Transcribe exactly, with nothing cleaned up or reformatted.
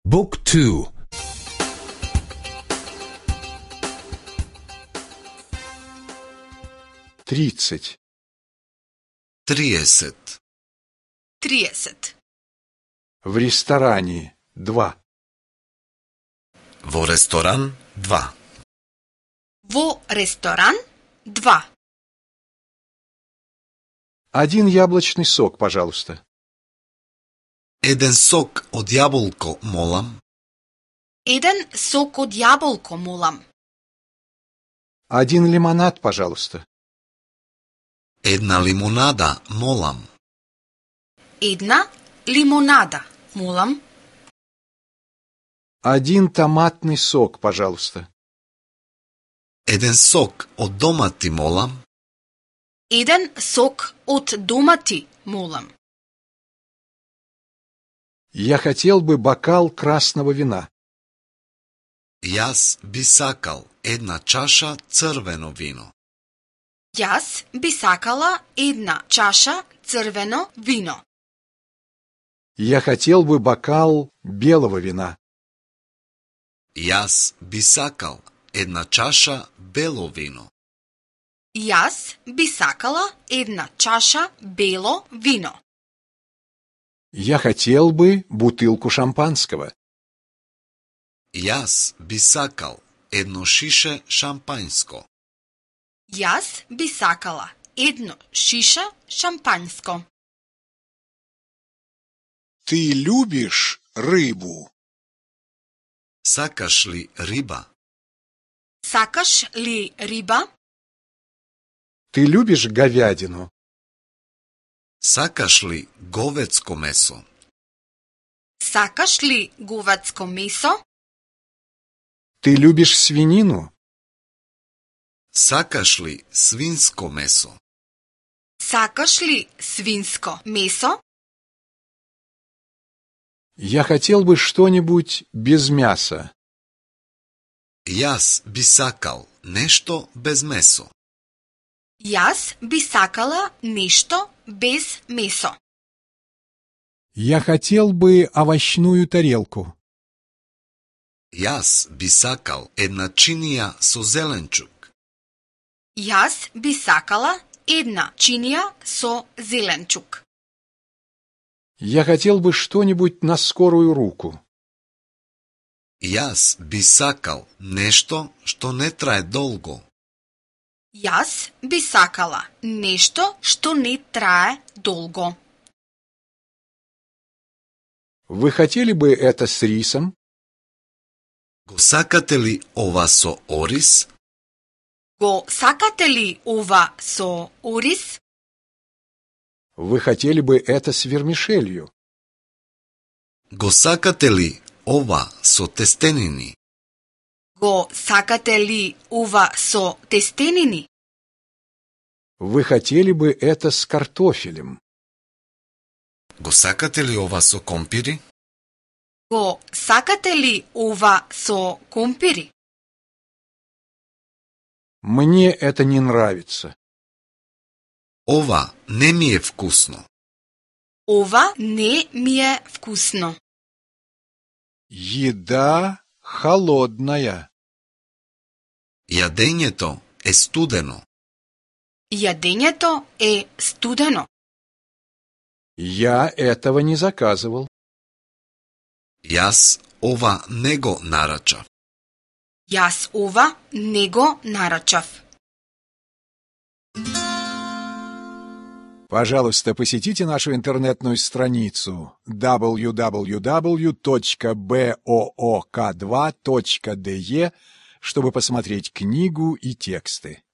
Book two. Тридцать. триесет. триесет. В ресторане. Два. Во ресторан два. Во ресторан два. Один яблочный сок, пожалуйста. Еден сок од јаболко, молам. Еден сок од јаболко, молам. Один лимонад, пожалуйста. Една лимонада, молам. Една лимонада, молам. Один томатный сок, пожалуйста. Еден сок од домати, молам. Еден сок од домати, молам. Я хотел бы бокал красного вина. Јас би сакал една чаша црвено вино. Јас би сакала една чаша црвено вино. Я хотел бы бокал белого вина. Јас би сакал една чаша бело вино. Јас би сакала една чаша бело вино. Я хотел бы бутылку шампанского. Јас би сакал едно шише шампањско. Јас би сакала едно шише шампањско. Ты любишь рыбу? Сакаш ли риба? Сакаш ли риба? Ты любишь говядину? Сакаш ли говецко месо? Сакаш ли говецко месо? Ты любишь свинину? Сакаш ли свинско месо? Сакаш ли свинско месо? Я хотел бы что-нибудь без мяса. Јас би сакал нешто без месо. Јас би сакала нешто без месо. Я хотел бы овощную тарелку. Јас би сакал една чинија со зеленчук. Јас би сакала една чинија со зеленчук. Я хотел бы что-нибудь на скорую руку. Јас би сакал нешто што не трае долго. Јас би сакала нешто што не трае долго. Вы хотели бы это с рисом? Го сакате ли ова со ориз? Го сакате ли ова со ориз? Вы хотели бы это с вермишелью? Го сакате ли ова со тестенини? Го сакате ли ова со тестенини? Вы хотели бы это с картофелем? Го сакате ли ова со компири? Го сакате ли ова со компири? Мне это не нравится. Ова не ми е вкусно. Ова не ми е вкусно. Еда холодная. Јадењето е студено. Јадењето е студено. Я этого не заказывал. Јас ова не го нарачав. Јас ова не го нарачав. Пожалуйста, посетите нашу интернетную страницу дабл ю дабл ю дабл ю точка боок два точка де, чтобы посмотреть книгу и тексты.